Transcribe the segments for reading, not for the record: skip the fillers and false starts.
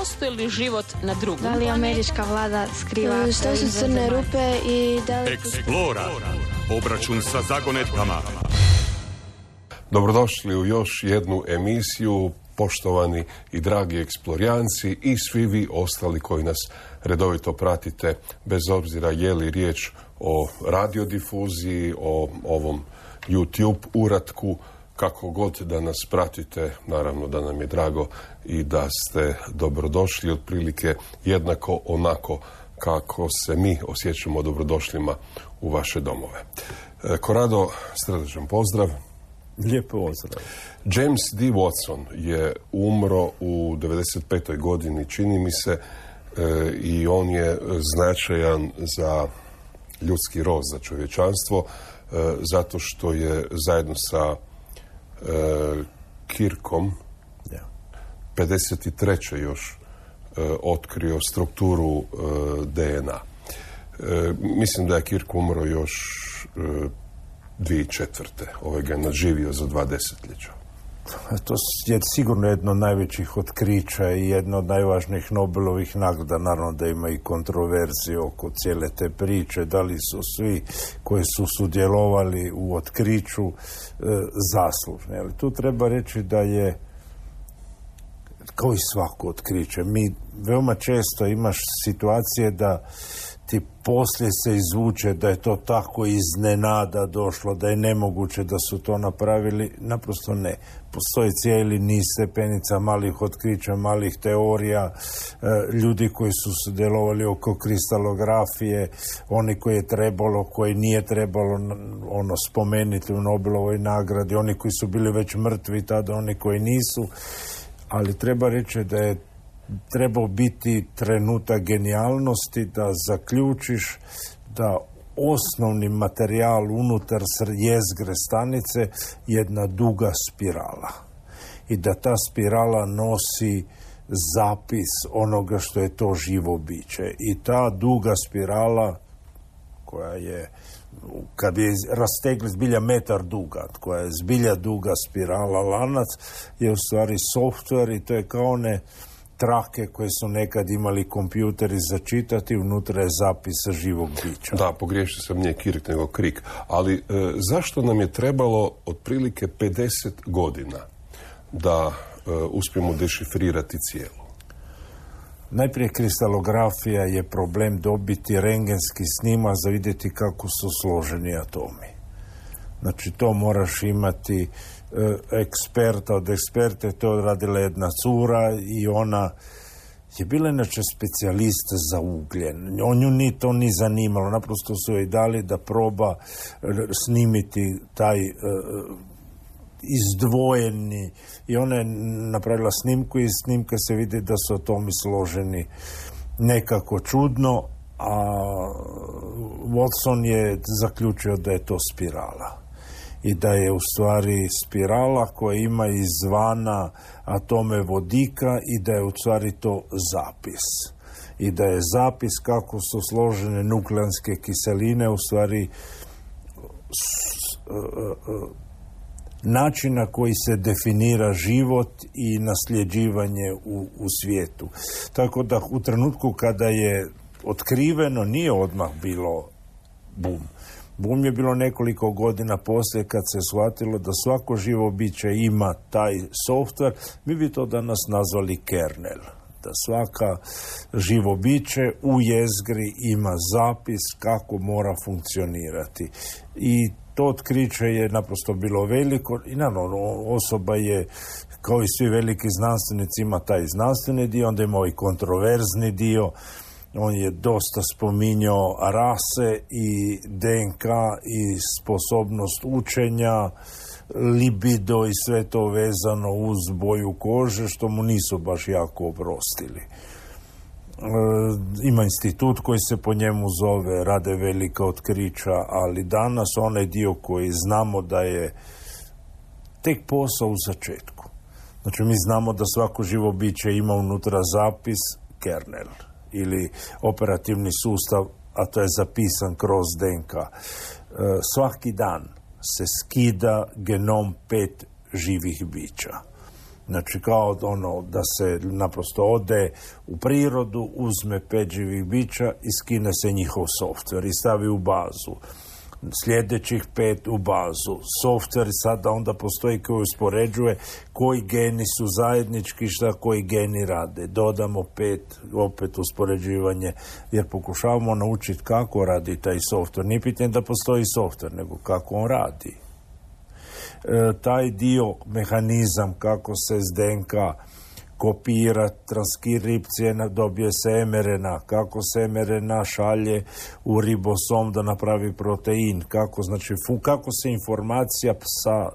postoji li život na drugom? Da li američka vlada skriva? Što su crne rupe i da li... Eksplora. Obračun sa zagonetkama. Dobrodošli u još jednu emisiju, poštovani i dragi eksplorijanci i svi vi ostali koji nas redovito pratite, bez obzira je li riječ o radiodifuziji, o ovom YouTube uratku, kako god da nas pratite, naravno da nam je drago i da ste dobrodošli, otprilike jednako onako kako se mi osjećamo dobrodošlima u vaše domove. Korado, srdačan pozdrav. Lijep pozdrav. James D. Watson je umro u 95. godini, čini mi se, i on je značajan za ljudski rod, za čovječanstvo, zato što je zajedno sa Kirkom 53. još otkrio strukturu DNA. Mislim da je Kirk umro još 2004. Ovaj ga je nadživio za 2 desetljeća. To je sigurno jedno od najvećih otkrića i jedno od najvažnijih Nobelovih nagrada. Naravno da ima i kontroverzije oko cijele te priče, da li su svi koji su sudjelovali u otkriću zaslužni. Ali tu treba reći da je, kao i svako otkriće, mi veoma često imaš situacije da ti poslije se izvuče da je to tako iznenada došlo, da je nemoguće da su to napravili. Naprosto ne. Postoji cijeli niz stepenica malih otkrića, malih teorija, ljudi koji su sudjelovali oko kristalografije, oni koji je trebalo, koji nije trebalo spomenuti u Nobelovoj nagradi, oni koji su bili već mrtvi tada, oni koji nisu. Ali treba reći da je trebao biti trenutak genijalnosti da zaključiš da osnovni materijal unutar jezgre stanice je jedna duga spirala i da ta spirala nosi zapis onoga što je to živo biće. I ta duga spirala, koja je, kad je rastegli zbilja metar duga, koja je zbilja duga spirala, lanac, je u stvari software i to je kao one trake koje su nekad imali kompjuteri za čitati, unutra je zapis živog bića. Da, pogriješio sam, nije Kirk nego Krik. Ali zašto nam je trebalo otprilike 50 godina da uspijemo dešifrirati cijelu? Najprije kristalografija je problem dobiti rentgenski snimak za vidjeti kako su složeni atomi. Znači to moraš imati eksperta od eksperte, to je odradila jedna cura i ona je bila inače specijalista za ugljen. Nju ni to ni zanimalo, naprosto su joj dali da proba snimiti taj izdvojeni i ona je napravila snimku i snimka se vidi da su atomi složeni nekako čudno, a Watson je zaključio da je to spirala. I da je u stvari spirala koja ima izvana atome vodika i da je u stvari to zapis. I da je zapis kako su složene nukleanske kiseline u stvari način na koji se definira život i nasljeđivanje u svijetu. Tako da u trenutku kada je otkriveno nije odmah bilo bum. Bum je bilo nekoliko godina poslije kad se shvatilo da svako živo biće ima taj software, mi bi to danas nazvali kernel. Da svaka živo biće u jezgri ima zapis kako mora funkcionirati. I to otkriće je naprosto bilo veliko i naravno osoba je, kao i svi veliki znanstvenici, ima taj znanstveni dio, onda ima i kontroverzni dio. On je dosta spominjao rase i DNK i sposobnost učenja, libido i sve to vezano uz boju kože, što mu nisu baš jako oprostili. Ima institut koji se po njemu zove, rade velika otkrića, ali danas onaj dio koji znamo da je tek posao u začetku. Znači mi znamo da svako živo biće ima unutra zapis, kernel ili operativni sustav, a to je zapisan kroz DNK. Svaki dan se skida genom 5 živih bića. Znači kao ono da se naprosto ode u prirodu, uzme 5 živih bića i skine se njihov softver i stavi u bazu. Sljedećih 5 u bazu. Softver sada onda postoji koji uspoređuje koji geni su zajednički, šta koji geni rade. Dodamo 5, opet uspoređivanje, jer pokušavamo naučiti kako radi taj softver. Nije pitanje da postoji softver, nego kako on radi. Taj dio, mehanizam kako se s DNK kopira, transkripcije, dobije se mRNA, kako se mRNA šalje u ribosom da napravi protein, kako se informacija sa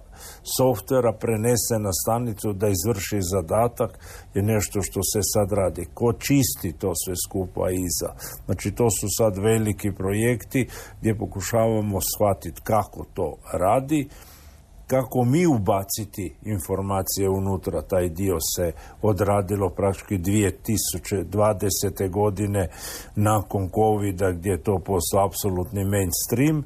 softvera prenese na stanicu da izvrši zadatak je nešto što se sad radi. Ko čisti to sve skupa iza? Znači to su sad veliki projekti gdje pokušavamo shvatiti kako to radi, kako mi ubaciti informacije unutra. Taj dio se odradilo praktički 2020. godine nakon covida gdje je to postao apsolutni mainstream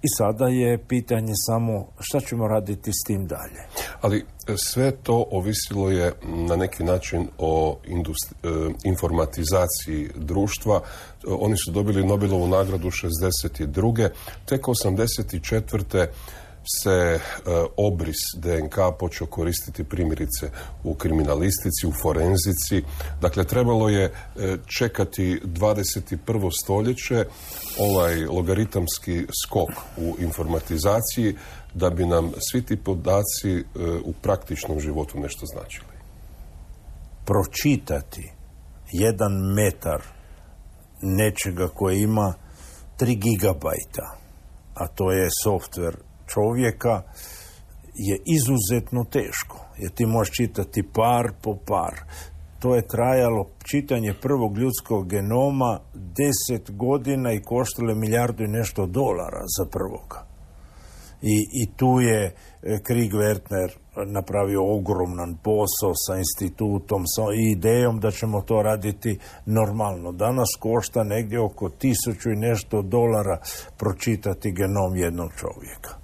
i sada je pitanje samo šta ćemo raditi s tim dalje. Ali sve to ovisilo je na neki način o informatizaciji društva. Oni su dobili Nobelovu nagradu 62. Tek 84. se obris DNK počeo koristiti primjerice u kriminalistici, u forenzici. Dakle, trebalo je čekati 21. stoljeće, ovaj logaritamski skok u informatizaciji, da bi nam svi ti podaci u praktičnom životu nešto značili. Pročitati 1 metar nečega koje ima 3 gigabajta, a to je softver čovjeka, je izuzetno teško. Jer ti možeš čitati par po par. To je trajalo čitanje prvog ljudskog genoma 10 godina i koštalo $1 milijardu i nešto za prvoga. I tu je Krieg Wertner napravio ogroman posao sa institutom, sa idejom da ćemo to raditi normalno. Danas košta negdje oko $1000 i nešto pročitati genom jednog čovjeka.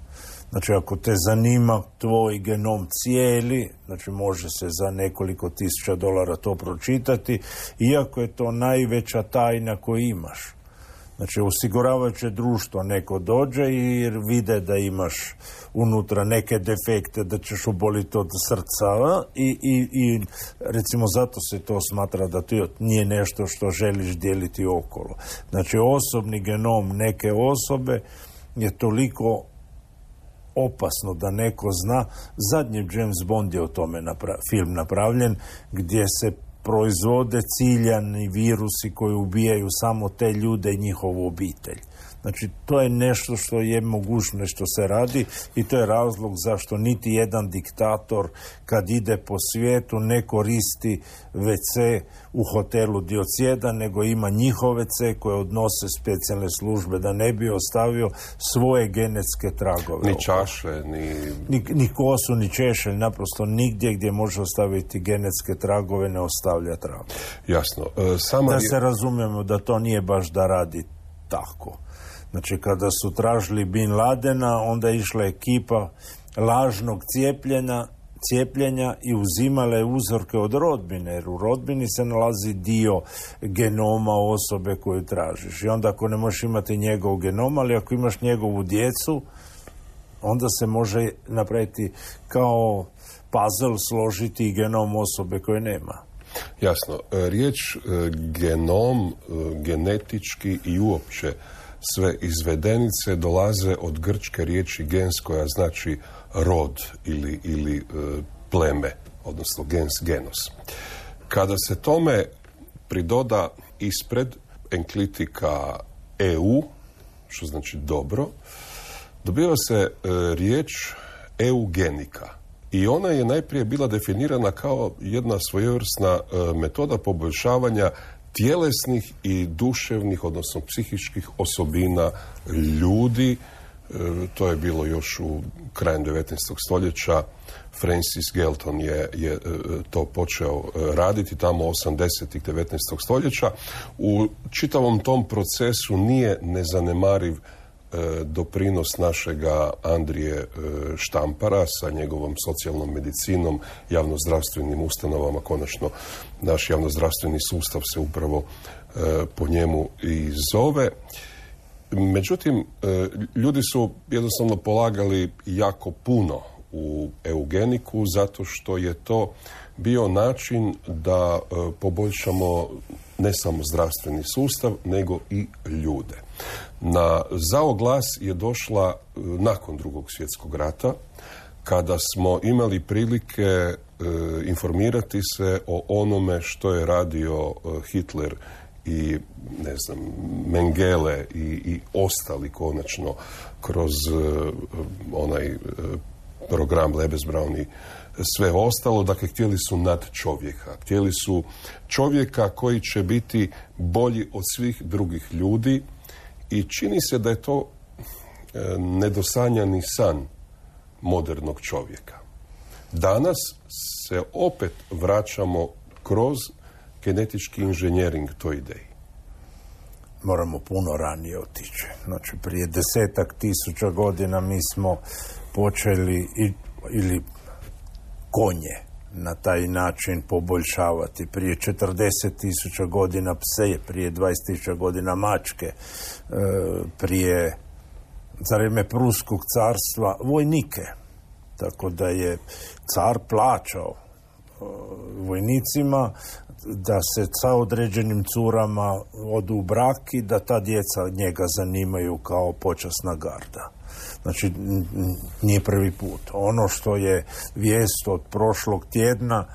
Znači, ako te zanima tvoj genom cijeli, znači može se za nekoliko $1000 to pročitati, iako je to najveća tajna koju imaš. Znači, osiguravajuće društvo neko dođe i vide da imaš unutra neke defekte, da ćeš oboliti od srca i recimo zato se to smatra da to nije nešto što želiš dijeliti okolo. Znači, osobni genom neke osobe je toliko opasno da neko zna. Zadnji James Bond je o tome film napravljen, gdje se proizvode ciljani virusi koji ubijaju samo te ljude i njihovu obitelj. Znači, to je nešto što je mogućno što se radi i to je razlog zašto niti jedan diktator kad ide po svijetu ne koristi WC u hotelu Diocletiana, nego ima njihov WC koje odnose specijalne službe da ne bi ostavio svoje genetske tragove. Ni čaše, ni kosu, ni češelj, naprosto nigdje gdje može ostaviti genetske tragove ne ostavlja tragove. Jasno. Se razumijemo da to nije baš da radi tako. Znači, kada su tražili Bin Ladena, onda je išla ekipa lažnog cijepljenja i uzimale uzorke od rodbine, jer u rodbini se nalazi dio genoma osobe koju tražiš. I onda ako ne možeš imati njegov genom, ali ako imaš njegovu djecu, onda se može napraviti kao puzzle, složiti genom osobe koje nema. Jasno. Riječ genom, genetički i uopće sve izvedenice dolaze od grčke riječi gens, koja znači rod ili pleme, odnosno gens, genos. Kada se tome pridoda ispred enklitika EU, što znači dobro, dobiva se riječ eugenika. I ona je najprije bila definirana kao jedna svojevrsna metoda poboljšavanja tjelesnih i duševnih, odnosno psihičkih osobina ljudi. To je bilo još u krajem 19. stoljeća. Francis Galton je to počeo raditi tamo 80. 19. stoljeća. U čitavom tom procesu nije nezanemariv doprinos našega Andrije Štampara sa njegovom socijalnom medicinom, javnozdravstvenim ustanovama. Konačno, naš javnozdravstveni sustav se upravo po njemu i zove. Međutim, ljudi su jednostavno polagali jako puno u eugeniku zato što je to bio način da poboljšamo ne samo zdravstveni sustav, nego i ljude. Na zao glas je došla nakon Drugog svjetskog rata, kada smo imali prilike informirati se o onome što je radio Hitler i ne znam, Mengele i ostali konačno kroz onaj program Lebensbraun i sve ostalo. Dakle, htjeli su nad čovjeka. Htjeli su čovjeka koji će biti bolji od svih drugih ljudi i čini se da je to nedosanjani san modernog čovjeka. Danas se opet vraćamo kroz genetički inženjering toj ideji. Moramo puno ranije otići. Znači, prije 10.000 godina mi smo počeli ili konje na taj način poboljšavati. Prije 40.000 godina pse, prije 20.000 godina mačke, prije za vrijeme Pruskog carstva vojnike. Tako da je car plaćao vojnicima da se sa određenim curama odu u brak i da ta djeca njega zanimaju kao počasna garda. Znači, nije prvi put. Ono što je vijest od prošlog tjedna,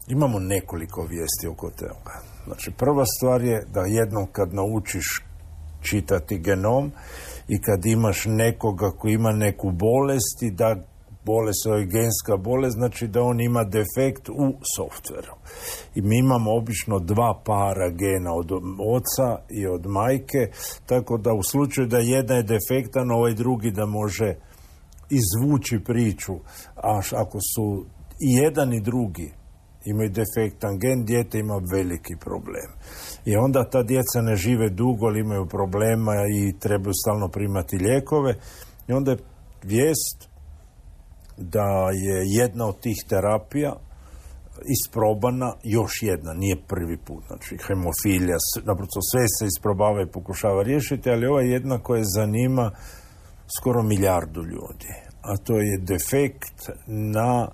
imamo nekoliko vijesti oko toga. Znači, prva stvar je da jednom kad naučiš čitati genom i kad imaš nekoga koji ima neku bolest i da bolest je genska bolest, znači da on ima defekt u softveru. I mi imamo obično 2 para gena od oca i od majke, tako da u slučaju da jedan je defektan, ovaj drugi da može izvući priču. A ako su i jedan i drugi imaju defektan gen, dijete ima veliki problem. I onda ta djeca ne žive dugo, ali imaju problema i trebaju stalno primati lijekove. I onda je vijest da je jedna od tih terapija isprobana, još jedna, nije prvi put. Znači, hemofilija, naprosto sve se isprobava i pokušava riješiti, ali ova je jedna koja zanima skoro 1 milijardu ljudi. A to je defekt na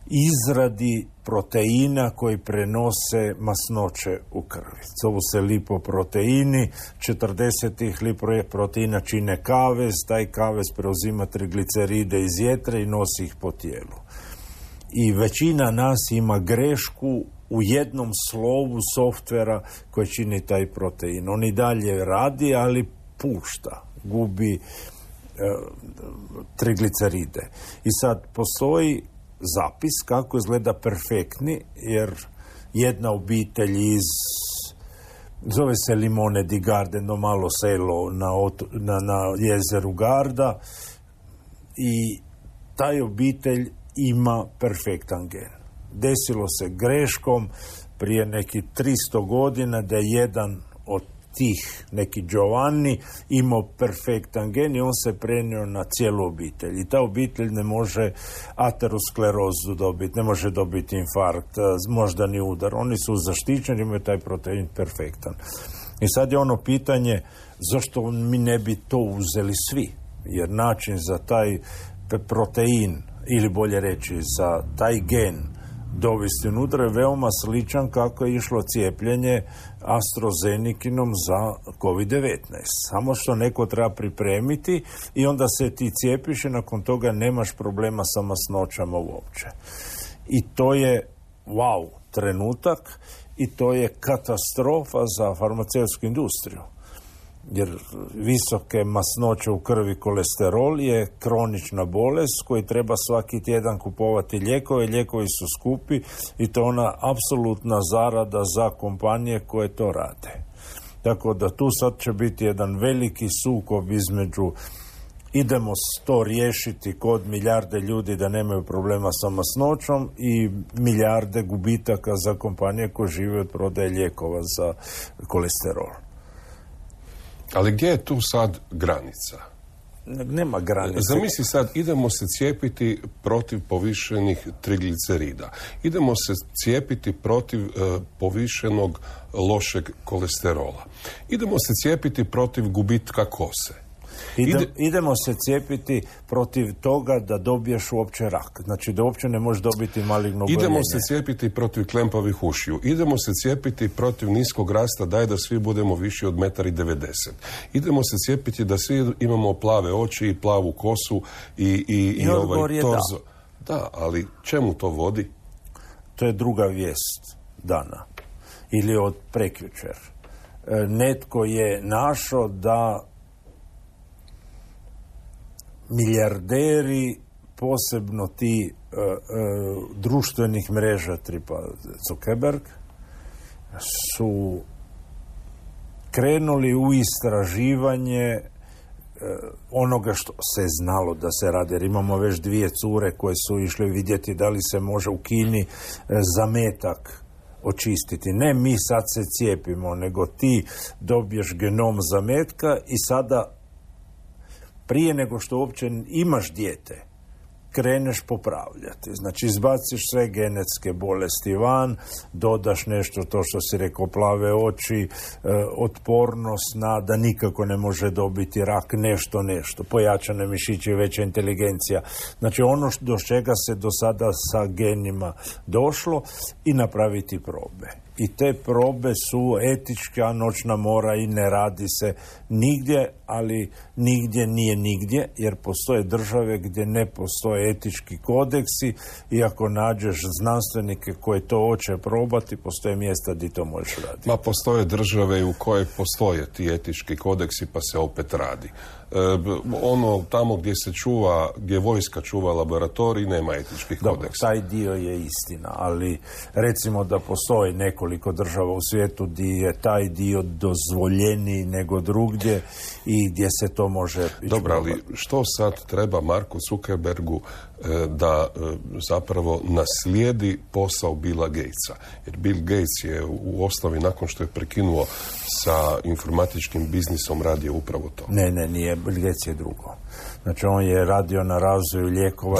izradi proteina koji prenose masnoće u krvi. Zovu se lipoproteini, 40 lipoproteina čine kavez, taj kavez preuzima trigliceride iz jetre i nosi ih po tijelu. I većina nas ima grešku u jednom slovu softvera koji čini taj protein. On i dalje radi, ali pušta, gubi trigliceride. I sad postoji zapis kako izgleda perfektni, jer jedna obitelj zove se Limone di Garda, jedno malo selo na jezeru Garda, i taj obitelj ima perfektan gen. Desilo se greškom prije nekih 300 godina da je jedan od tih, neki Giovanni, imao perfektan gen i on se prenio na cijelu obitelj. I ta obitelj ne može aterosklerozu dobiti, ne može dobiti infarkt, moždani udar. Oni su zaštićeni, imaju taj protein perfektan. I sad je ono pitanje, zašto mi ne bi to uzeli svi? Jer način za taj protein, ili bolje reći za taj gen dovesti unutra je veoma sličan kako je išlo cijepljenje AstraZenekinom za COVID-19. Samo što neko treba pripremiti i onda se ti cijepiš i nakon toga nemaš problema sa masnoćama uopće. I to je wow trenutak i to je katastrofa za farmaceutsku industriju. Jer visoke masnoće u krvi, kolesterol je kronična bolest koji treba svaki tjedan kupovati lijekove. Lijekovi su skupi i to je ona apsolutna zarada za kompanije koje to rade. Tako da tu sad će biti jedan veliki sukob između idemo to riješiti kod milijarde ljudi da nemaju problema sa masnoćom i milijarde gubitaka za kompanije koje žive od prodaje lijekova za kolesterol. Ali gdje je tu sad granica? Nema granice. Zamisli sad, idemo se cijepiti protiv povišenih triglicerida. Idemo se cijepiti protiv povišenog lošeg kolesterola. Idemo se cijepiti protiv gubitka kose. Idemo se cijepiti protiv toga da dobiješ uopće rak. Znači da uopće ne možeš dobiti maligno oboljenje. Idemo se cijepiti protiv klempavih ušiju. Idemo se cijepiti protiv niskog rasta, daj da svi budemo viši od 1,90 m. Idemo se cijepiti da svi imamo plave oči i plavu kosu i ovaj torzo. Da, ali čemu to vodi? To je druga vijest dana. Ili od prekjučer. Netko je našao da milijarderi, posebno ti društvenih mreža tipa Zuckerberg, su krenuli u istraživanje onoga što se znalo da se radi. Jer imamo već 2 cure koje su išle vidjeti da li se može u Kini zametak očistiti. Ne mi sad se cijepimo, nego ti dobiješ genom zametka i sada prije nego što uopće imaš dijete, kreneš popravljati. Znači, izbaciš sve genetske bolesti van, dodaš nešto, to što si rekao, plave oči, otpornost na da nikako ne može dobiti rak, nešto, pojačane mišiće, veća inteligencija. Znači, ono do čega se do sada sa genima došlo i napraviti probe. I te probe su etička noćna mora i ne radi se nigdje, ali nigdje nije nigdje, jer postoje države gdje ne postoje etički kodeksi i ako nađeš znanstvenike koji to hoće probati, postoje mjesta gdje to možeš raditi. Ma postoje države u koje postoje ti etički kodeksi pa se opet radi. Ono tamo gdje vojska čuva laboratorij nema etičkih kodeksa. Taj dio je istina, ali recimo da postoji nekoliko država u svijetu gdje je taj dio dozvoljeniji nego drugdje i gdje se to može... Dobro, ali što sad treba Marku Zuckerbergu da zapravo naslijedi posao Billa Gatesa? Jer Bill Gates je u osnovi, nakon što je prekinuo sa informatičkim biznisom, radio upravo to. Ne, nije. Bill Gates je drugo. Znači, on je radio na razvoju lijekova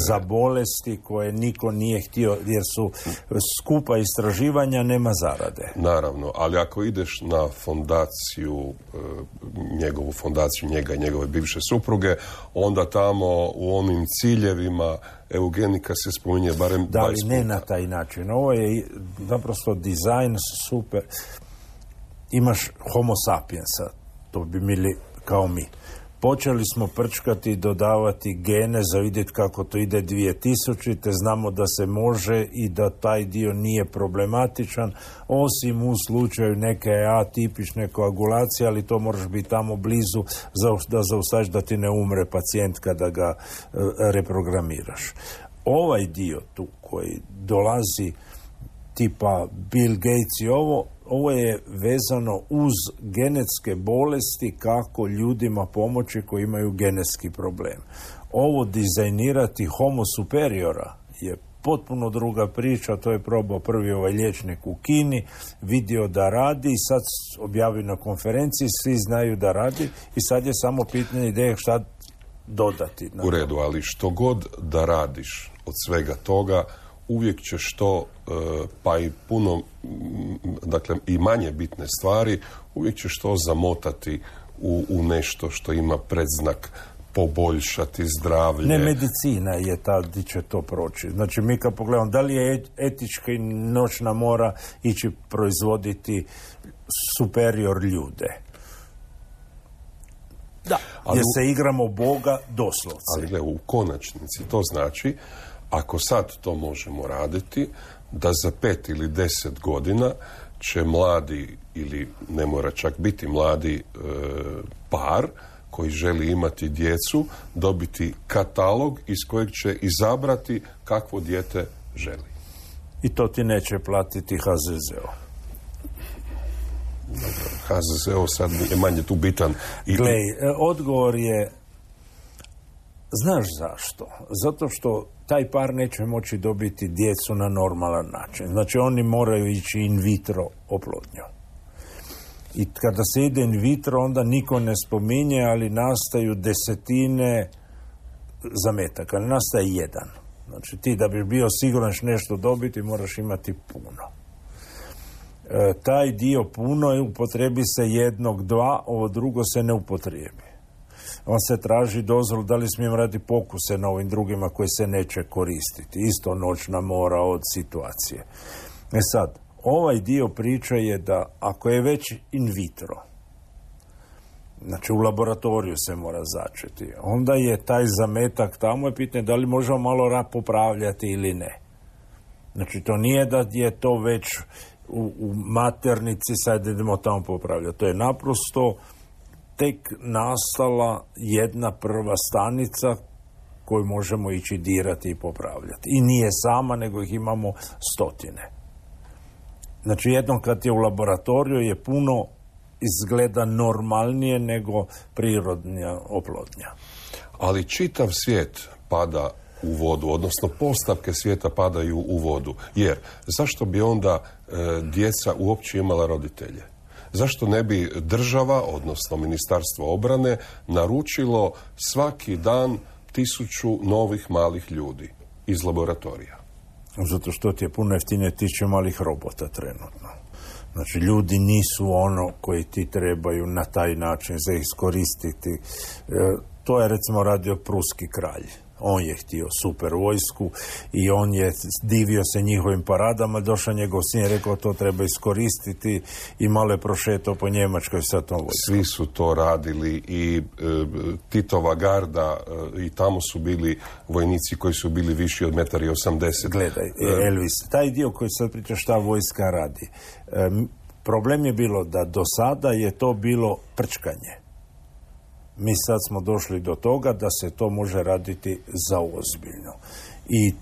za bolesti koje niko nije htio, jer su skupa istraživanja, nema zarade. Naravno, ali ako ideš na fondaciju, njegovu fondaciju, njega i njegove bivše supruge, onda tamo u onim ciljevima eugenika se spominje barem 20 puta. Da, ali ne na taj način. Ovo je naprosto dizajn super. Imaš homo sapiensa, to bi bili kao mi. Počeli smo prčkati i dodavati gene za vidjeti kako to ide 2000. Znamo da se može i da taj dio nije problematičan, osim u slučaju neke atipične koagulacije, ali to moraš biti tamo blizu da zaustaviš da ti ne umre pacijent kada ga reprogramiraš. Ovaj dio tu koji dolazi tipa Bill Gates i ovo je vezano uz genetske bolesti, kako ljudima pomoći koji imaju genetski problem. Ovo dizajnirati homo superiora je potpuno druga priča, to je probao prvi ovaj liječnik u Kini, vidio da radi i sad objavio na konferenciji, svi znaju da radi i sad je samo pitanje ideje šta dodati. U redu, ali što god da radiš od svega toga, uvijek ćeš to, pa i puno, dakle i manje bitne stvari, uvijek ćeš to zamotati u nešto što ima predznak poboljšati zdravlje. Ne, medicina je ta gdje će to proći. Znači, mi kad pogledamo, da li je etička i noćna mora ići proizvoditi superior ljude? Da, jer se igramo Boga doslovce. Ali gle, u konačnici to znači, ako sad to možemo raditi, da za 5 ili 10 godina će mladi, ili ne mora čak biti mladi par koji želi imati djecu, dobiti katalog iz kojeg će izabrati kakvo dijete želi. I to ti neće platiti HZZO. HZZO sad je manje tu bitan. Glej, odgovor je, znaš zašto? Zato što taj par neće moći dobiti djecu na normalan način. Znači, oni moraju ići in vitro oplodnju. I kada se ide in vitro, onda niko ne spominje, ali nastaju desetine zametaka, ne nastaje jedan. Znači ti da bi bio siguran nešto dobiti, moraš imati puno. Taj dio puno je upotrebi se 1, 2, ovo drugo se ne upotrebi. On se traži dozvolu da li smijem raditi pokuse na ovim drugima koji se neće koristiti. Isto noćna mora od situacije. Sad, ovaj dio priče je da ako je već in vitro, znači u laboratoriju se mora začeti, onda je taj zametak tamo i pitanje da li možemo malo popravljati ili ne. Znači to nije da je to već u maternici, sad idemo tamo popravljati. To je naprosto tek nastala jedna prva stanica koju možemo ići dirati i popravljati. I nije sama, nego ih imamo stotine. Znači jednom kad je u laboratoriju je puno izgleda normalnije nego prirodna oplodnja. Ali čitav svijet pada u vodu, odnosno postavke svijeta padaju u vodu. Jer zašto bi onda djeca uopće imala roditelje? Zašto ne bi država, odnosno Ministarstvo obrane, naručilo svaki dan 1000 novih malih ljudi iz laboratorija? Zato što ti je puno jeftinije 1000 malih robota trenutno. Znači, ljudi nisu ono koji ti trebaju na taj način za iskoristiti. To je recimo radio pruski kralj. On je htio super vojsku i on je divio se njihovim paradama, došao njegov sin i rekao to treba iskoristiti i malo je prošetao po Njemačkoj sa tom vojskom. Svi su to radili i Titova garda i tamo su bili vojnici koji su bili viši od 1,80 m. Gledaj, Elvis, taj dio koji sad priča šta vojska radi. Problem je bilo da do sada je to bilo prčkanje. Mi sad smo došli do toga da se to može raditi za ozbiljno. I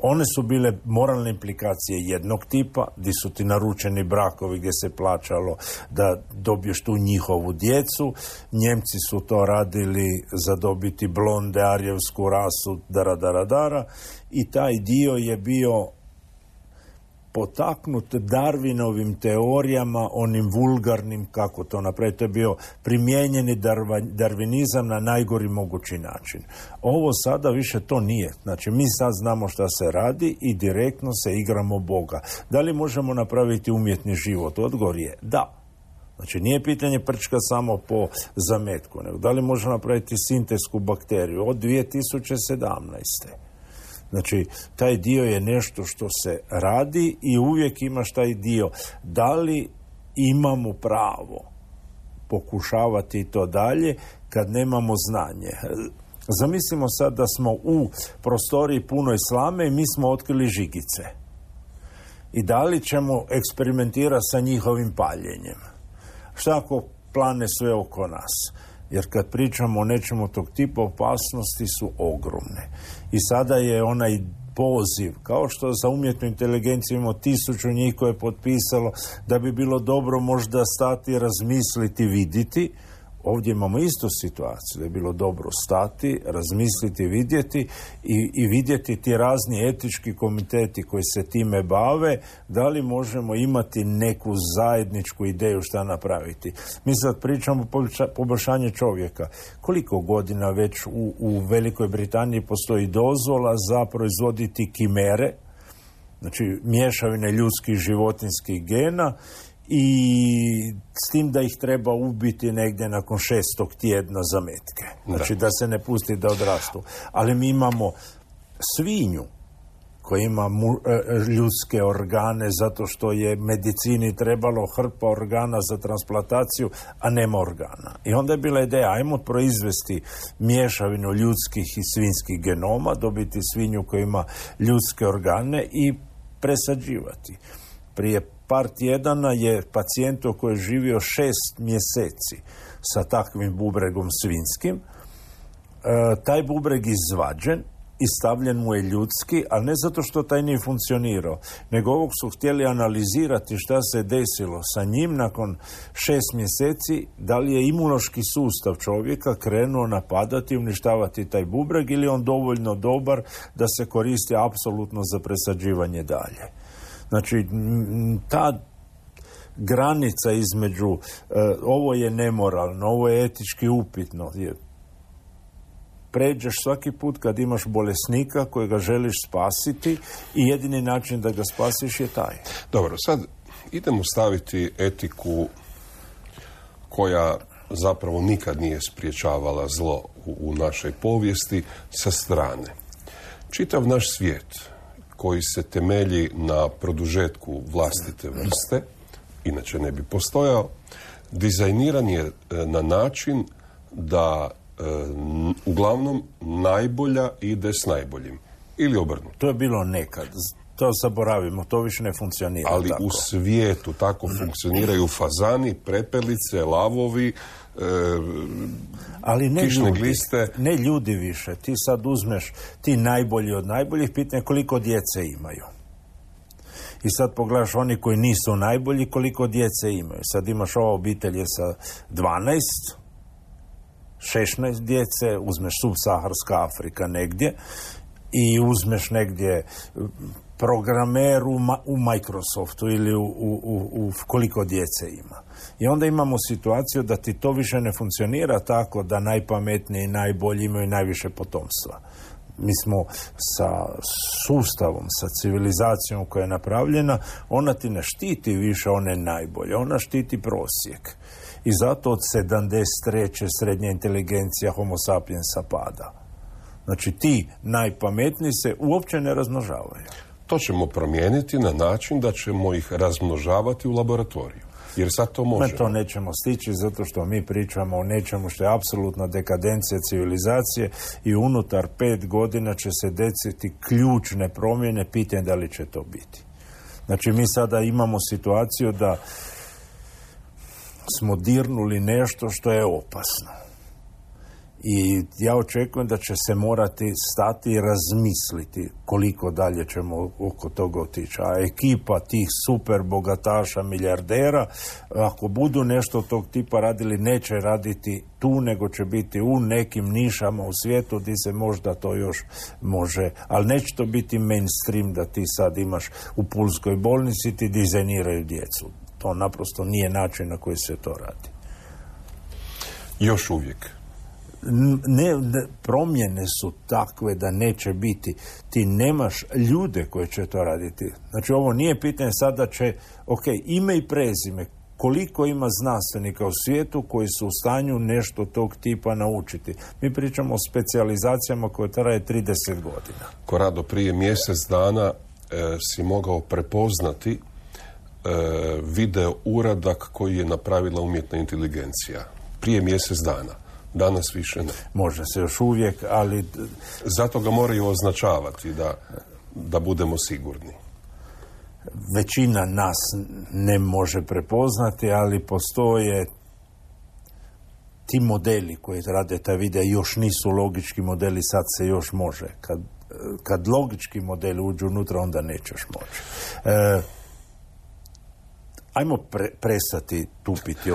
one su bile moralne implikacije jednog tipa, gdje su ti naručeni brakovi gdje se plaćalo da dobiješ tu njihovu djecu. Njemci su to radili za dobiti blonde, arijevsku rasu, dara. I taj dio je bio potaknut Darwinovim teorijama, onim vulgarnim, kako to napraviti, to je bio primijenjeni darvinizam na najgori mogući način. Ovo sada više to nije. Znači, mi sad znamo šta se radi i direktno se igramo Boga. Da li možemo napraviti umjetni život? Odgovor je da. Znači, nije pitanje prčka samo po zametku, nego da li možemo napraviti sintetsku bakteriju od 2017. Znači, taj dio je nešto što se radi i uvijek imaš taj dio. Da li imamo pravo pokušavati to dalje kad nemamo znanje? Zamislimo sad da smo u prostoriji punoj slame i mi smo otkrili žigice. I da li ćemo eksperimentirati sa njihovim paljenjem? Šta ako plane sve oko nas? Jer kad pričamo o nečemu tog tipa, opasnosti su ogromne. I sada je onaj poziv, kao što za umjetnu inteligenciju imamo 1000 njih koje je potpisalo da bi bilo dobro možda stati, razmisliti, vidjeti. Ovdje imamo istu situaciju, da je bilo dobro stati, razmisliti, vidjeti i vidjeti ti razni etički komiteti koji se time bave, da li možemo imati neku zajedničku ideju šta napraviti. Mi sad pričamo o poboljšanju čovjeka. Koliko godina već u Velikoj Britaniji postoji dozvola za proizvoditi kimere, znači mješavine ljudskih i životinskih gena, i s tim da ih treba ubiti negdje nakon 6. tjedna zametke. Znači da se ne pusti da odrastu. Ali mi imamo svinju koja ima ljudske organe zato što je medicini trebalo hrpa organa za transplantaciju, a nema organa. I onda je bila ideja, ajmo proizvesti mješavinu ljudskih i svinjskih genoma, dobiti svinju koja ima ljudske organe i presađivati. Prije par tjedana je pacijentu koji je živio 6 mjeseci sa takvim bubregom svinjskim, taj bubreg izvađen i stavljen mu je ljudski, ali ne zato što taj nije funkcionirao, nego ovog su htjeli analizirati šta se desilo sa njim nakon 6 mjeseci, da li je imunološki sustav čovjeka krenuo napadati i uništavati taj bubreg ili on dovoljno dobar da se koristi apsolutno za presađivanje dalje. Znači, ta granica između ovo je nemoralno, ovo je etički upitno, pređeš svaki put kad imaš bolesnika kojega želiš spasiti i jedini način da ga spasiš je taj. Dobro, sad idemo staviti etiku koja zapravo nikad nije spriječavala zlo u našoj povijesti sa strane. Čitav naš svijet koji se temelji na produžetku vlastite vrste, inače ne bi postojao, dizajniran je na način da uglavnom najbolja ide s najboljim. Ili obrnuto. To je bilo nekad. To zaboravimo, to više ne funkcionira. Ali tako. U svijetu tako funkcioniraju fazani, prepelice, lavovi, ali ne kišne ljudi, gliste. Ne ljudi više. Ti sad uzmeš ti najbolji od najboljih, pitanje koliko djece imaju. I sad pogledaš oni koji nisu najbolji, koliko djece imaju. Sad imaš ova obitelj je sa 12, 16 djece, uzmeš subsaharska Afrika negdje i uzmeš negdje programer u Microsoftu ili u koliko djece ima. I onda imamo situaciju da ti to više ne funkcionira tako da najpametniji i najbolji imaju najviše potomstva. Mi smo sa sustavom, sa civilizacijom koja je napravljena, ona ti ne štiti više one najbolje, ona štiti prosjek. I zato od 73. srednja inteligencija Homo sapiensa pada. Znači ti najpametniji se uopće ne razmnožavaju. To ćemo promijeniti na način da ćemo ih razmnožavati u laboratoriju. Jer sad to možemo. To nećemo stići zato što mi pričamo o nečemu što je apsolutna dekadencija civilizacije i unutar 5 godina će se desiti ključne promjene, pitanje da li će to biti. Znači mi sada imamo situaciju da smo dirnuli nešto što je opasno. I ja očekujem da će se morati stati i razmisliti koliko dalje ćemo oko toga otići. A ekipa tih super bogataša, milijardera, ako budu nešto tog tipa radili, neće raditi tu, nego će biti u nekim nišama u svijetu gdje se možda to još može. Ali neće to biti mainstream da ti sad imaš u pulskoj bolnici, ti dizajniraju djecu. To naprosto nije način na koji se to radi. Još uvijek. Promjene su takve da neće biti. Ti nemaš ljude koji će to raditi. Znači ovo nije pitanje sada će, ime i prezime, koliko ima znanstvenika u svijetu koji su u stanju nešto tog tipa naučiti. Mi pričamo o specijalizacijama koje traje 30 godina. Korado, prije mjesec dana si mogao prepoznati video uradak koji je napravila umjetna inteligencija. Prije mjesec dana. Danas više ne. Može se još uvijek, ali... Zato ga moraju označavati da budemo sigurni. Većina nas ne može prepoznati, ali postoje ti modeli koji rade taj video još nisu logički modeli, sad se još može. Kad logički modeli uđu unutra, onda nećeš moći. Ajmo prestati tupiti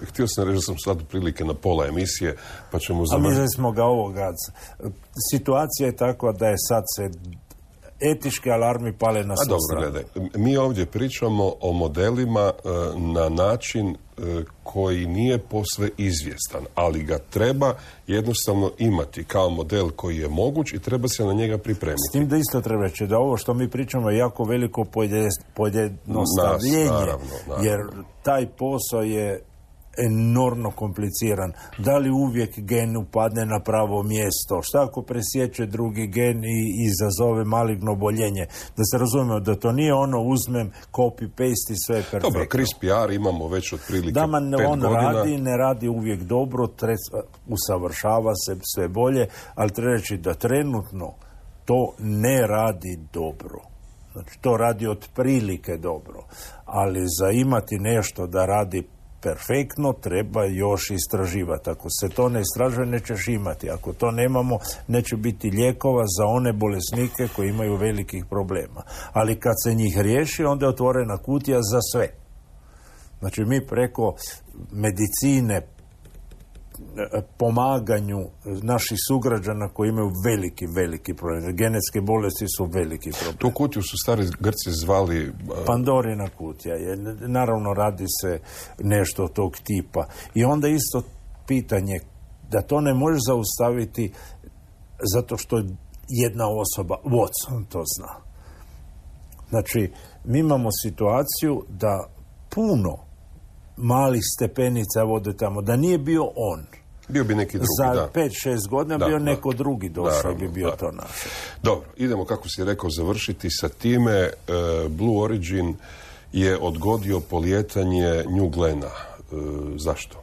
Htio sam reći da sam sad prilike na pola emisije, pa ćemo završiti. A mislili smo ga ovoga. Situacija je takva da je sad se etički alarmi pale na sustav. Dobro, gledaj. Mi ovdje pričamo o modelima na način koji nije posve izvjestan, ali ga treba jednostavno imati kao model koji je moguć i treba se na njega pripremiti. S tim da isto treba reći da ovo što mi pričamo je jako veliko pojednostavljenje, naravno. Jer taj posao je enormno kompliciran. Da li uvijek gen upadne na pravo mjesto? Šta ako presječe drugi gen i izazove maligno oboljenje? Da se razumemo da to nije ono uzmem, copy-paste i sve je perfektno. Dobro, CRISPR imamo već otprilike 5 godina. On ne radi uvijek dobro, usavršava se sve bolje, ali treba reći da trenutno to ne radi dobro. Znači, to radi otprilike dobro. Ali za imati nešto da radi perfektno, treba još istraživati. Ako se to ne istražuje, nećeš imati. Ako to nemamo, neće biti lijekova za one bolesnike koji imaju velikih problema. Ali kad se njih riješi, onda je otvorena kutija za sve. Znači, mi preko medicine pomaganju naših sugrađana koji imaju veliki problem. Genetske bolesti su veliki problem. Tu kutiju su stari Grci zvali... Pandorina kutija je. Naravno, radi se nešto tog tipa. I onda isto pitanje da to ne možeš zaustaviti zato što jedna osoba, Watson, to zna. Znači, mi imamo situaciju da puno malih stepenica vode tamo, da nije bio on. Bio bi neki drugi, za 5-6 godina bio neko drugi došao i bi bio to naše. Dobro, idemo, kako si rekao, završiti sa time. Blue Origin je odgodio polijetanje New Glena. Zašto?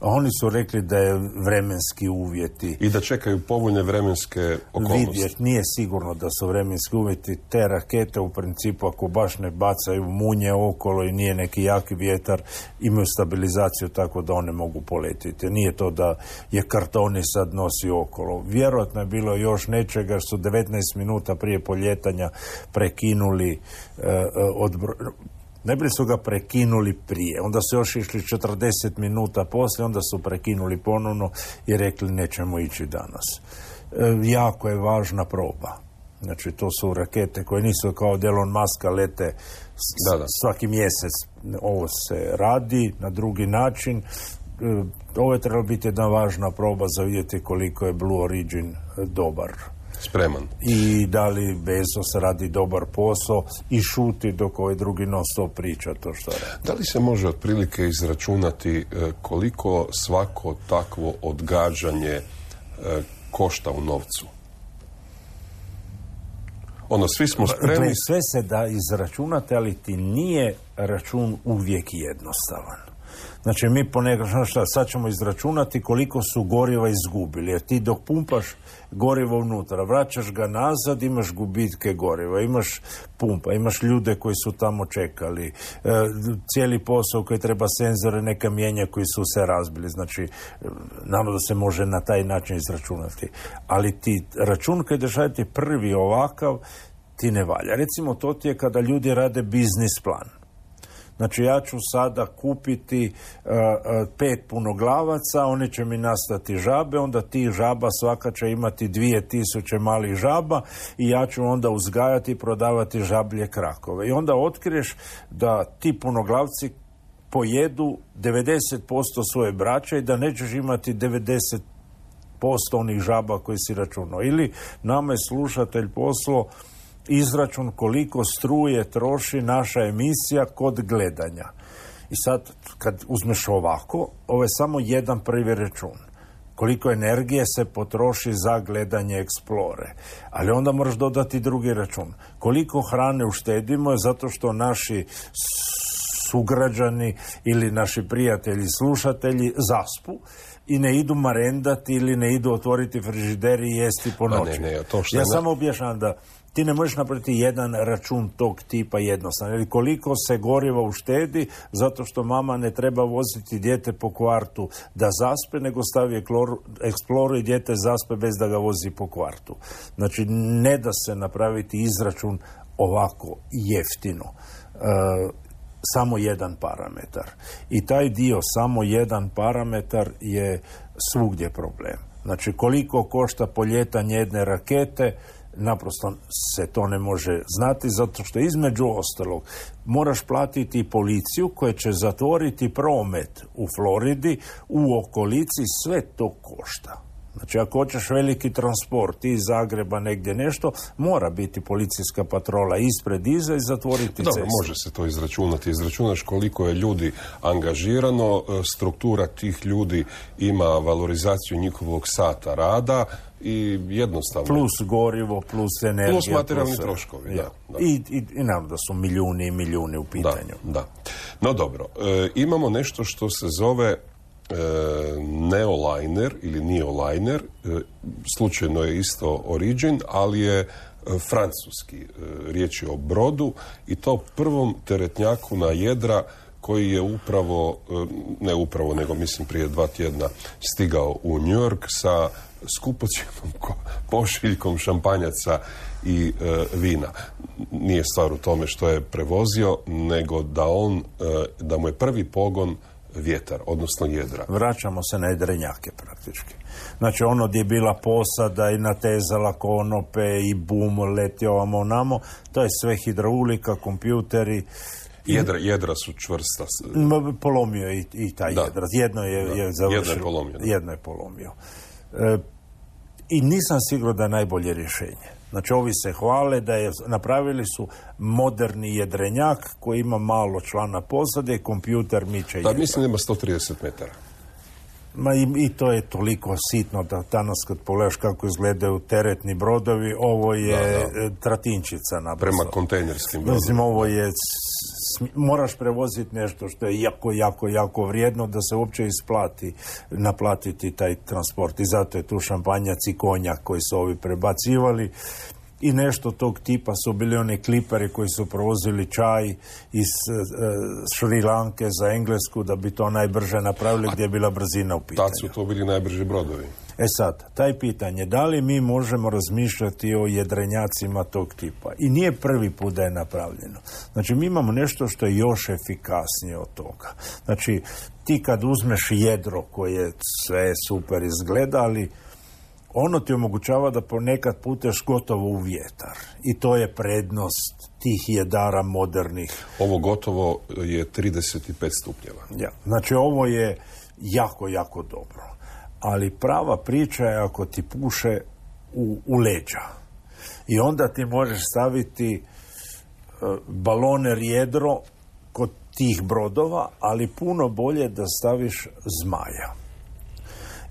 Oni su rekli da je vremenski uvjeti. I da čekaju povoljne vremenske okolnosti. Vidjeti, nije sigurno da su vremenski uvjeti. Te rakete u principu, ako baš ne bacaju munje okolo i nije neki jaki vjetar, imaju stabilizaciju tako da one mogu poletiti. Nije to da je kartoni sad nosi okolo. Vjerojatno je bilo još nečega što su 19 minuta prije poljetanja prekinuli najprije su ga prekinuli prije, onda su još išli 40 minuta poslije, onda su prekinuli ponovno i rekli nećemo ići danas. Jako je važna proba. Znači, to su rakete koje nisu kao Elon Muska lete svaki mjesec. Ovo se radi na drugi način. Ovo je trebalo biti jedna važna proba za vidjeti koliko je Blue Origin dobar. Spreman. I da li Bezos radi dobar posao i šuti dok ovaj drugi non stop priča to što radi. Da li se može otprilike izračunati koliko svako takvo odgađanje košta u novcu? Svi smo spremni. Sve se da izračunati, ali ti nije račun uvijek jednostavan. Znači, mi sad ćemo izračunati koliko su goriva izgubili, jer ti dok pumpaš gorivo unutra, vraćaš ga nazad, imaš gubitke goriva, imaš pumpa, imaš ljude koji su tamo čekali, cijeli posao koji treba senzore neka mijenja koji su se razbili. Znači, naravno da se može na taj način izračunati. Ali ti račun koji držati prvi ovakav, ti ne valja. Recimo, to ti je kada ljudi rade biznis plan. Znači, ja ću sada kupiti 5 punoglavaca, oni će mi nastati žabe, onda ti žaba svaka će imati 2000 malih žaba i ja ću onda uzgajati i prodavati žablje krakove. I onda otkriješ da ti punoglavci pojedu 90% svoje braće i da nećeš imati 90% onih žaba koji si računao. Ili nama je slušatelj poslao izračun koliko struje troši naša emisija kod gledanja. I sad, kad uzmeš ovako, ovo je samo jedan prvi račun. Koliko energije se potroši za gledanje Explore. Ali onda moraš dodati drugi račun. Koliko hrane uštedimo zato što naši sugrađani ili naši prijatelji, slušatelji zaspu i ne idu marendati ili ne idu otvoriti frižider i jesti po noći. Ja samo objašnjam da ti ne možeš napraviti jedan račun tog tipa jednostavno. Ili koliko se goriva uštedi zato što mama ne treba voziti dijete po kvartu da zaspe, nego stavi Explorer i dijete zaspe bez da ga vozi po kvartu. Znači, ne da se napraviti izračun ovako jeftino. Samo jedan parametar. I taj dio, samo jedan parametar, je svugdje problem. Znači, koliko košta poljetanje jedne rakete, naprosto se to ne može znati, zato što između ostalog moraš platiti policiju koja će zatvoriti promet u Floridi, u okolici, sve to košta. Znači, ako hoćeš veliki transport iz Zagreba negdje nešto, mora biti policijska patrola ispred, iza i zatvoriti cestu. Može se to izračunati. Izračunaš koliko je ljudi angažirano, struktura tih ljudi ima valorizaciju njihovog sata rada i jednostavno... Plus gorivo, plus energija. Plus materijalni troškovi, da. I naravno da su milijuni i milijuni u pitanju. Da. No dobro, imamo nešto što se zove Neoliner ili Neoliner, slučajno je isto Origin, ali je francuski. Riječ je o brodu i to prvom teretnjaku na jedra koji je nego mislim prije 2 tjedna stigao u New York sa skupocjenom pošiljkom šampanjaca i vina. Nije stvar u tome što je prevozio, nego da mu je prvi pogon vjetar, odnosno jedra. Vraćamo se na jedrenjake praktički. Znači ono gdje je bila posada i natezala konope i bum, leti ovamo onamo, to je sve hidraulika, kompjuteri. Jedra su čvrsta. Polomio je i taj jedra. Jedno je završilo. Jedno je polomio. I nisam siguran da je najbolje rješenje. Znači, ovi se hvale da napravili su moderni jedrenjak koji ima malo člana posade, kompjuter miče jedra. Da, mislim da ima 130 metara. I to je toliko sitno da danas kad pogledaš kako izgledaju teretni brodovi, ovo je tratinčica naprosto. Prema kontejnerskim brodovima. Mislim, ovo je moraš prevoziti nešto što je jako vrijedno da se uopće isplati naplatiti taj transport. I zato je tu šampanjac i konjak koji su ovi prebacivali. I nešto tog tipa su bili oni kliperi koji su provozili čaj iz Šri Lanke za Englesku da bi to najbrže napravili gdje je bila brzina u pitanju. Tad su to bili najbrži brodovi. E sad, taj pitanje, da li mi možemo razmišljati o jedrenjacima tog tipa? I nije prvi put da je napravljeno. Znači, mi imamo nešto što je još efikasnije od toga. Znači, ti kad uzmeš jedro koje sve super izgleda, ali ono ti omogućava da ponekad puteš gotovo u vjetar. I to je prednost tih jedara modernih. Ovo gotovo je 35 stupnjeva. Ja. Znači, ovo je jako dobro. Ali prava priča je ako ti puše u leđa. I onda ti možeš staviti baloner jedro kod tih brodova, ali puno bolje da staviš zmaja.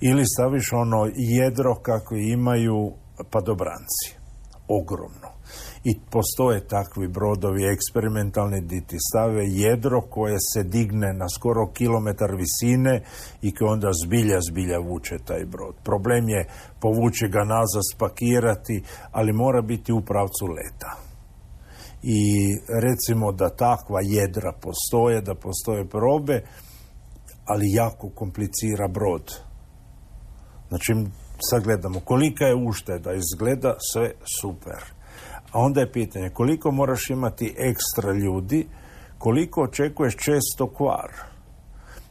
Ili staviš ono jedro kako imaju padobranci. Ogromno. I postoje takvi brodovi eksperimentalni gdje ti stave jedro koje se digne na skoro kilometar visine i koje onda zbilja vuče taj brod. Problem je povući ga nazad, spakirati, ali mora biti u pravcu leta. I recimo da takva jedra postoje, da postoje probe, ali jako komplicira brod. Znači, sad gledamo kolika je ušteda, izgleda sve super. A onda je pitanje koliko moraš imati ekstra ljudi, koliko očekuješ često kvar,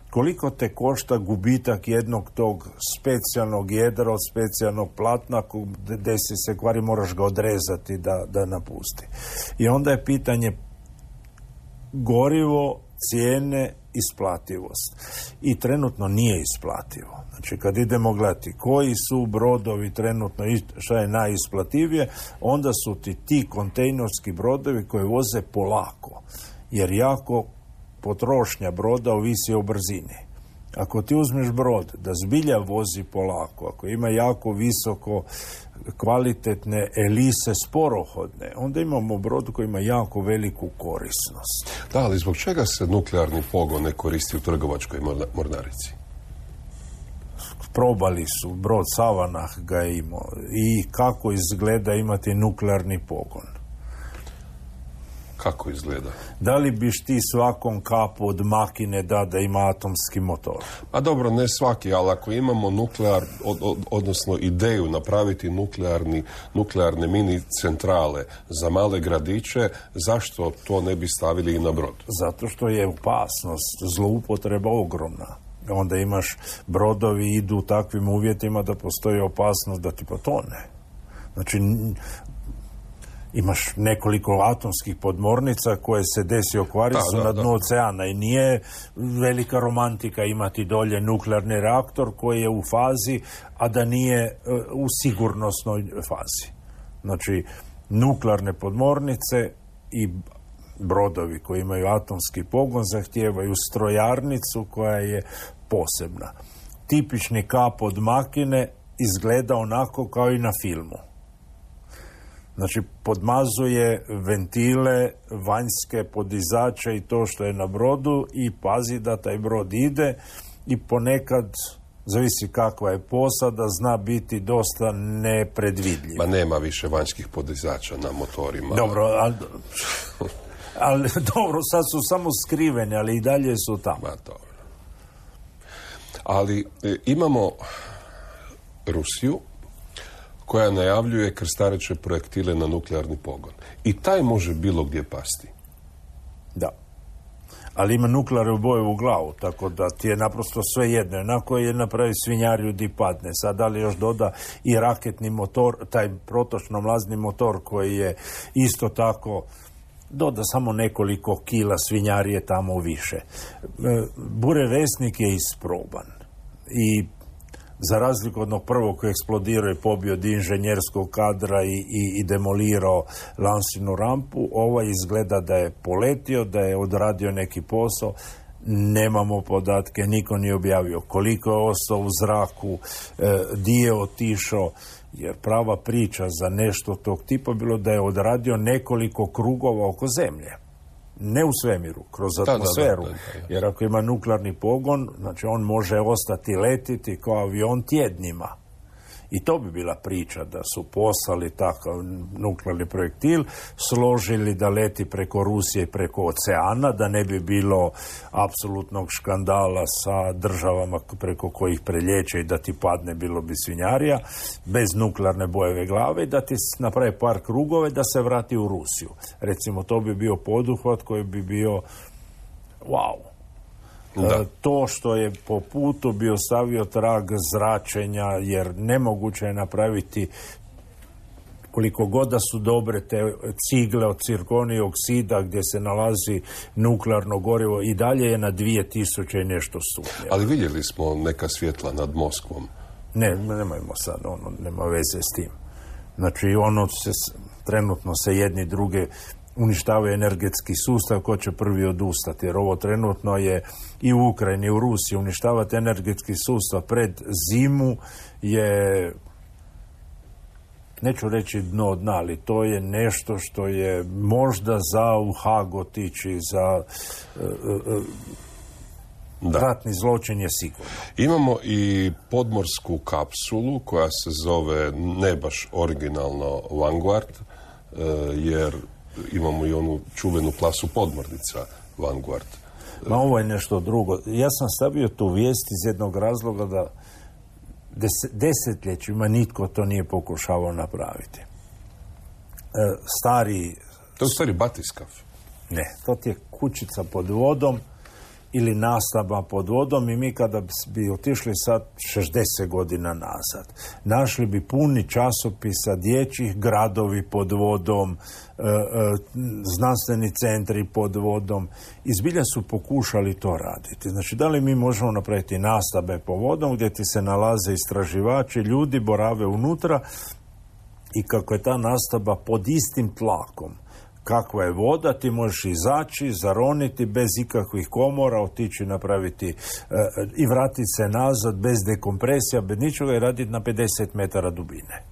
koliko te košta gubitak jednog tog specijalnog jedra od specijalnog platna, desi se kvari, moraš ga odrezati da napusti. I onda je pitanje gorivo, cijene, isplativost. I trenutno nije isplativo. Znači, kad idemo gledati koji su brodovi trenutno, šta je najisplativije, onda su ti kontejnerski brodovi koji voze polako. Jer jako potrošnja broda ovisi o brzini. Ako ti uzmeš brod da zbilja vozi polako, ako ima jako visoko kvalitetne elise sporohodne, onda imamo brod koji ima jako veliku korisnost. Da, ali zbog čega se nuklearni pogon ne koristi u trgovačkoj mornarici? Probali su, brod Savanah ga je imao. I kako izgleda imati nuklearni pogon? Kako izgleda? Da li biš ti svakom kapu od makine da ima atomski motor? A dobro, ne svaki, ali ako imamo odnosno ideju napraviti nuklearne mini centrale za male gradiće, zašto to ne bi stavili i na brod? Zato što je opasnost, zloupotreba ogromna. Onda imaš brodovi idu u takvim uvjetima da postoji opasnost da ti potone. Znači, imaš nekoliko atomskih podmornica koje se desi okvariti na dnu oceana i nije velika romantika imati dolje nuklearni reaktor koji je u fazi, a da nije u sigurnosnoj fazi. Znači, nuklearne podmornice i brodovi koji imaju atomski pogon zahtijevaju strojarnicu koja je posebna. Tipični kap od makine izgleda onako kao i na filmu. Znači, podmazuje ventile, vanjske podizače i to što je na brodu i pazi da taj brod ide i ponekad, zavisi kakva je posada, zna biti dosta nepredvidljiv. Ma nema više vanjskih podizača na motorima. Dobro, ali dobro, sad su samo skriveni, ali i dalje su tamo. Ma dobro. Ali imamo Rusiju koja najavljuje krstareće projektile na nuklearni pogon. I taj može bilo gdje pasti. Da. ali ima nuklearne boje u glavu, tako da ti je naprosto sve jedno. Onako je napravi svinjariju di padne. Sad da li još doda i raketni motor, taj protočno mlazni motor koji je isto tako, doda samo nekoliko kila svinjarije tamo više. Burevesnik je isproban i za razliku od onog prvog koji eksplodirao i pobio dio inženjerskog kadra i demolirao lansinu rampu, ovaj izgleda da je poletio, da je odradio neki posao. Nemamo podatke, niko nije objavio koliko je ostao u zraku, di je otišao, jer prava priča za nešto tog tipa bilo da je odradio nekoliko krugova oko zemlje. Ne u svemiru, kroz atmosferu. Jer ako ima nuklearni pogon, znači on može ostati letiti kao avion tjednima. I to bi bila priča da su poslali takav nuklearni projektil, složili da leti preko Rusije i preko oceana, da ne bi bilo apsolutnog škandala sa državama preko kojih prelječe i da ti padne, bilo bi svinjarija, bez nuklearne bojeve glave, i da ti napravi par krugove da se vrati u Rusiju. Recimo, to bi bio poduhvat koji bi bio wow. To što je po putu bio stavio trag zračenja, jer nemoguće je napraviti, koliko god da su dobre te cigle od cirkonija oksida gdje se nalazi nuklearno gorivo, i dalje je na 2000 i nešto stupnjeva. Ali vidjeli smo neka svjetla nad Moskvom. Ne, nemojmo sad, nema veze s tim. Znači, trenutno se jedni druge uništavaju energetski sustav, ko će prvi odustati, jer ovo trenutno je i u Ukrajini, i u Rusiji. Uništavati energetski sustav pred zimu je, neću reći dno dna, ali to je nešto što je možda za u Hag otići, za ratni zločin je sigurno. Imamo i podmorsku kapsulu koja se zove ne baš originalno Vanguard, jer imamo i onu čuvenu klasu podmornica Vanguard. Ma ovo je nešto drugo. Ja sam stavio tu vijest iz jednog razloga da desetljećima nitko to nije pokušavao napraviti. To je stari batiskav. Ne, to ti je kućica pod vodom ili nastava pod vodom, i mi kada bi otišli sad 60 godina nazad, našli bi puni časopisa dječjih, gradovi pod vodom, znanstveni centri pod vodom, i zbilja su pokušali to raditi. Znači, da li mi možemo napraviti nastave po vodom gdje ti se nalaze istraživači, ljudi borave unutra, i kako je ta nastava pod istim tlakom kakva je voda, ti možeš izaći, zaroniti bez ikakvih komora, otići napraviti i vratiti se nazad bez dekompresija, bez ničega, i raditi na 50 metara dubine.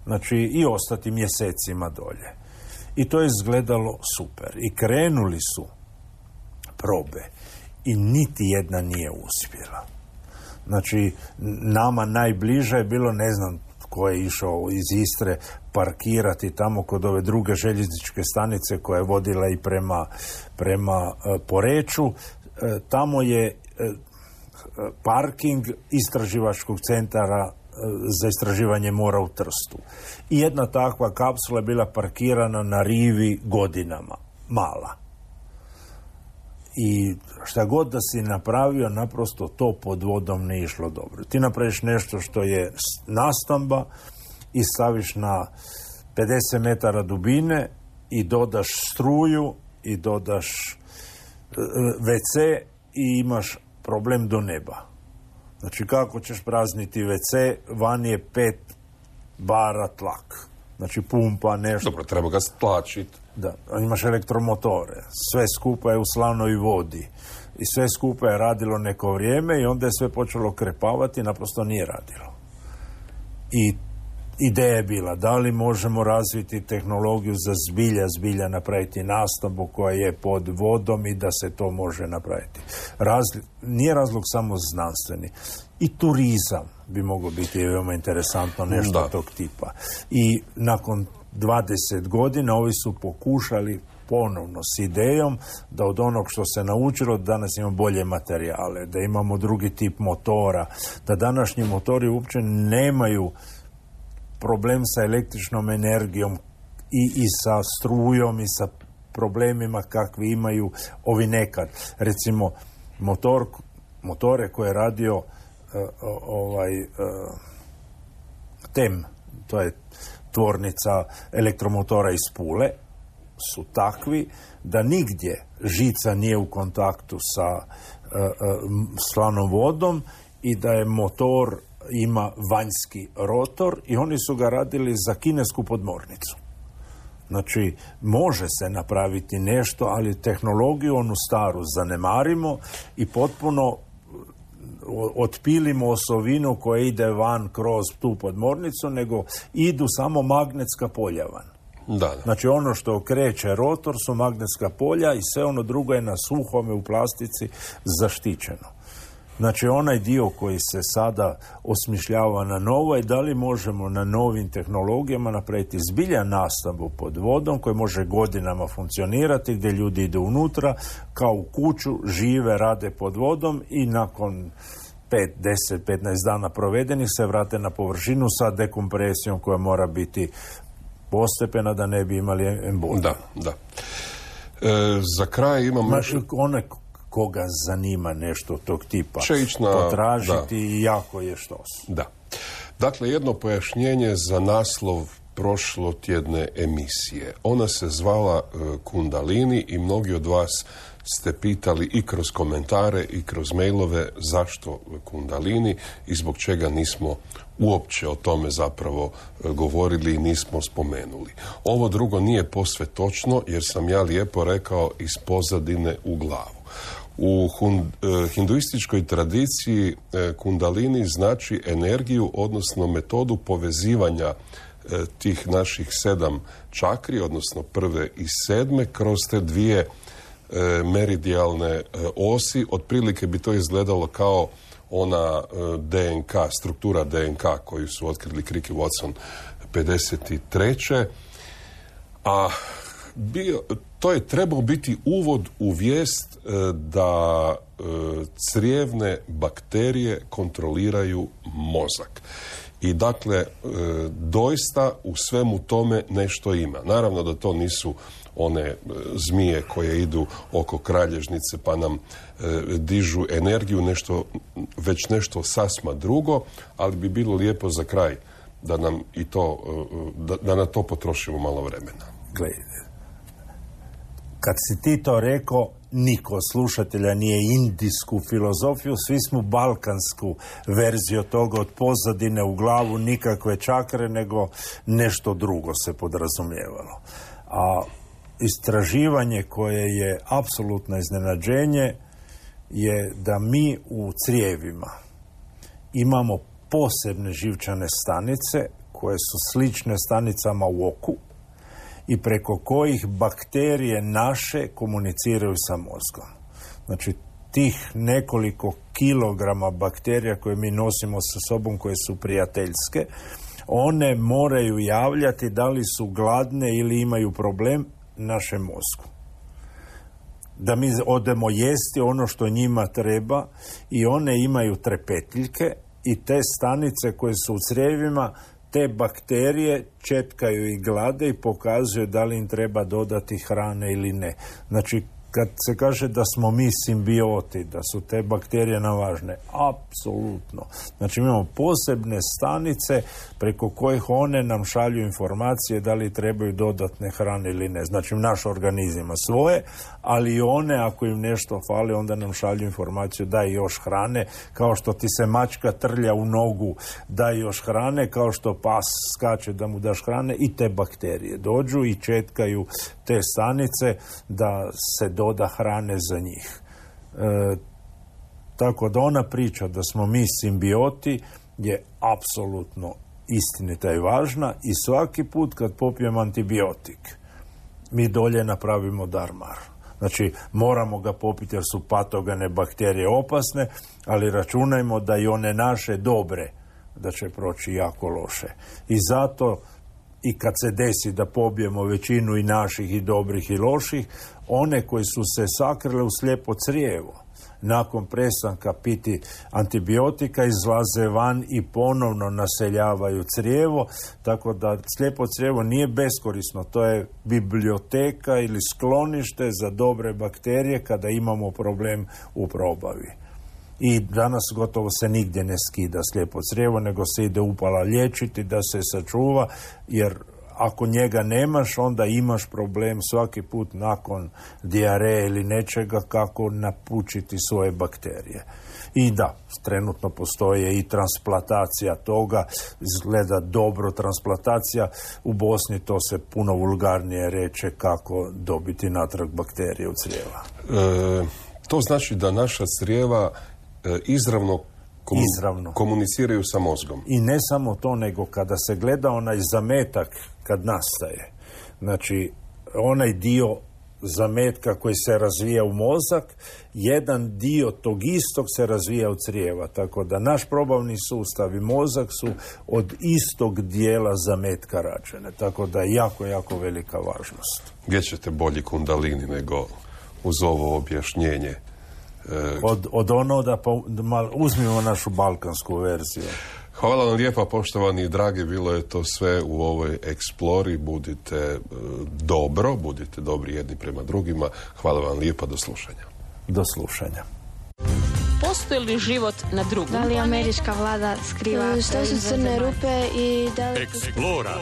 Znači, i ostati mjesecima dolje. I to je izgledalo super. I krenuli su probe i niti jedna nije uspjela. Znači, nama najbliže je bilo, ne znam ko je išao iz Istre parkirati tamo kod ove druge željezničke stanice koja je vodila i prema Poreču. Tamo je parking istraživačkog centara za istraživanje mora u Trstu. I jedna takva kapsula je bila parkirana na rivi godinama. Mala. I šta god da si napravio, naprosto to pod vodom ne išlo dobro. Ti napraviš nešto što je nastamba i staviš na 50 metara dubine i dodaš struju i dodaš WC i imaš problem do neba. Znači, kako ćeš prazniti WC, van je 5 bara tlak. Znači, pumpa, nešto. Dobro, treba ga stlačiti. Da, imaš elektromotore, sve skupa je u slanoj vodi i sve skupa je radilo neko vrijeme i onda je sve počelo krepavati, naprosto nije radilo. I ideja je bila, da li možemo razviti tehnologiju za zbilja napraviti nastavu koja je pod vodom i da se to može napraviti. Nije razlog samo znanstveni. I turizam bi moglo biti veoma interesantno, nešto tog tipa. I nakon 20 godina ovi su pokušali ponovno s idejom da od onog što se naučilo danas imamo bolje materijale, da imamo drugi tip motora, da današnji motori uopće nemaju problem sa električnom energijom i sa strujom i sa problemima kakvi imaju ovi nekad. Recimo, motore koje je radio TEM, to je tvornica elektromotora iz Pule, su takvi da nigdje žica nije u kontaktu sa slanom vodom i da je motor ima vanjski rotor i oni su ga radili za kinesku podmornicu. Znači, može se napraviti nešto, ali tehnologiju onu staru zanemarimo i potpuno otpilimo osovinu koja ide van kroz tu podmornicu, nego idu samo magnetska polja van. Da. Znači, ono što okreće rotor su magnetska polja i sve ono drugo je na suhome u plastici zaštićeno. Znači, onaj dio koji se sada osmišljava na novo je da li možemo na novim tehnologijama napraviti zbilja nastavu pod vodom koji može godinama funkcionirati, gdje ljudi idu unutra, kao u kuću, žive, rade pod vodom i nakon 5, 10, 15 dana provedenih se vrate na površinu sa dekompresijom koja mora biti postepena da ne bi imali emboliju. Da. Za kraj imamo... One koga zanima nešto tog tipa potražiti i jako je što su. Da. Dakle, jedno pojašnjenje za naslov prošlotjedne emisije. Ona se zvala Kundalini i mnogi od vas ste pitali i kroz komentare i kroz mailove zašto Kundalini i zbog čega nismo uopće o tome zapravo govorili i nismo spomenuli. Ovo drugo nije posve točno jer sam ja lijepo rekao iz pozadine u glavu. U hinduističkoj tradiciji Kundalini znači energiju, odnosno metodu povezivanja tih naših 7 čakri, odnosno prve i 7, kroz te dvije meridijalne osi. Otprilike bi to izgledalo kao ona DNK, struktura DNK koju su otkrili Crick i Watson 53. A to je trebao biti uvod u vijest da crijevne bakterije kontroliraju mozak. I dakle, doista u svemu tome nešto ima. Naravno da to nisu one zmije koje idu oko kralježnice pa nam dižu energiju, već nešto sasma drugo, ali bi bilo lijepo za kraj da nam i to, da na to potrošimo malo vremena. Gledajte, kad si ti to rekao, niko slušatelja nije indijsku filozofiju, svi smo balkansku verziju toga, od pozadine u glavu, nikakve čakre, nego nešto drugo se podrazumijevalo. A istraživanje koje je apsolutno iznenađenje je da mi u crijevima imamo posebne živčane stanice koje su slične stanicama u oku i preko kojih bakterije naše komuniciraju sa mozgom. Znači, tih nekoliko kilograma bakterija koje mi nosimo sa sobom, koje su prijateljske, one moraju javljati da li su gladne ili imaju problem našem mozgu. Da mi odemo jesti ono što njima treba i one imaju trepetiljke i te stanice koje su u crijevima, te bakterije četkaju i glade i pokazuju da li im treba dodati hrane ili ne. Znači, kad se kaže da smo mi simbioti, da su te bakterije nam važne, apsolutno. Znači, imamo posebne stanice preko kojih one nam šalju informacije da li trebaju dodatne hrane ili ne. Znači, naš organizam ima svoje, ali i one, ako im nešto fali, onda nam šalju informaciju daj još hrane, kao što ti se mačka trlja u nogu, daj još hrane, kao što pas skače da mu daš hrane, i te bakterije dođu i četkaju te stanice da se doda hrane za njih. Tako da ona priča da smo mi simbioti je apsolutno istinita i važna i svaki put kad popijemo antibiotik mi dolje napravimo darmar. Znači, moramo ga popiti jer su patogene bakterije opasne, ali računajmo da i one naše dobre da će proći jako loše. I zato i kad se desi da pobijemo većinu i naših i dobrih i loših, one koji su se sakrile u slijepo crijevo, nakon prestanka piti antibiotika izlaze van i ponovno naseljavaju crijevo, tako da slijepo crijevo nije beskorisno, to je biblioteka ili sklonište za dobre bakterije kada imamo problem u probavi. I danas gotovo se nigdje ne skida slijepo crijevo, nego se ide upala liječiti da se sačuva, jer ako njega nemaš, onda imaš problem svaki put nakon dijareje ili nečega kako napučiti svoje bakterije. I da, trenutno postoje i transplantacija toga, izgleda dobro transplantacija, u Bosni to se puno vulgarnije reče kako dobiti natrag bakterije u crijeva. To znači da naša crijeva izravno komuniciraju sa mozgom. I ne samo to, nego kada se gleda onaj zametak kad nastaje, znači onaj dio zametka koji se razvija u mozak, jedan dio tog istog se razvija u crijeva, tako da naš probavni sustav i mozak su od istog dijela zametka rađene, tako da je jako, jako velika važnost. Gdje ćete bolji kundalini nego uz ovo objašnjenje? Od ono da uzmimo našu balkansku verziju. Hvala vam lijepa, poštovani i dragi, bilo je to sve u ovoj Eksplori. Budite budite dobri jedni prema drugima. Hvala vam lijepa, do slušanja. Do slušanja. Postoji li život na drugom? Da li američka vlada skriva Što su crne rupe i da li... Eksplora.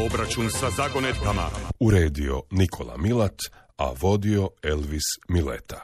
Obračun sa zagonetkama. Uredio Nikola Milat, a vodio Elvis Mileta.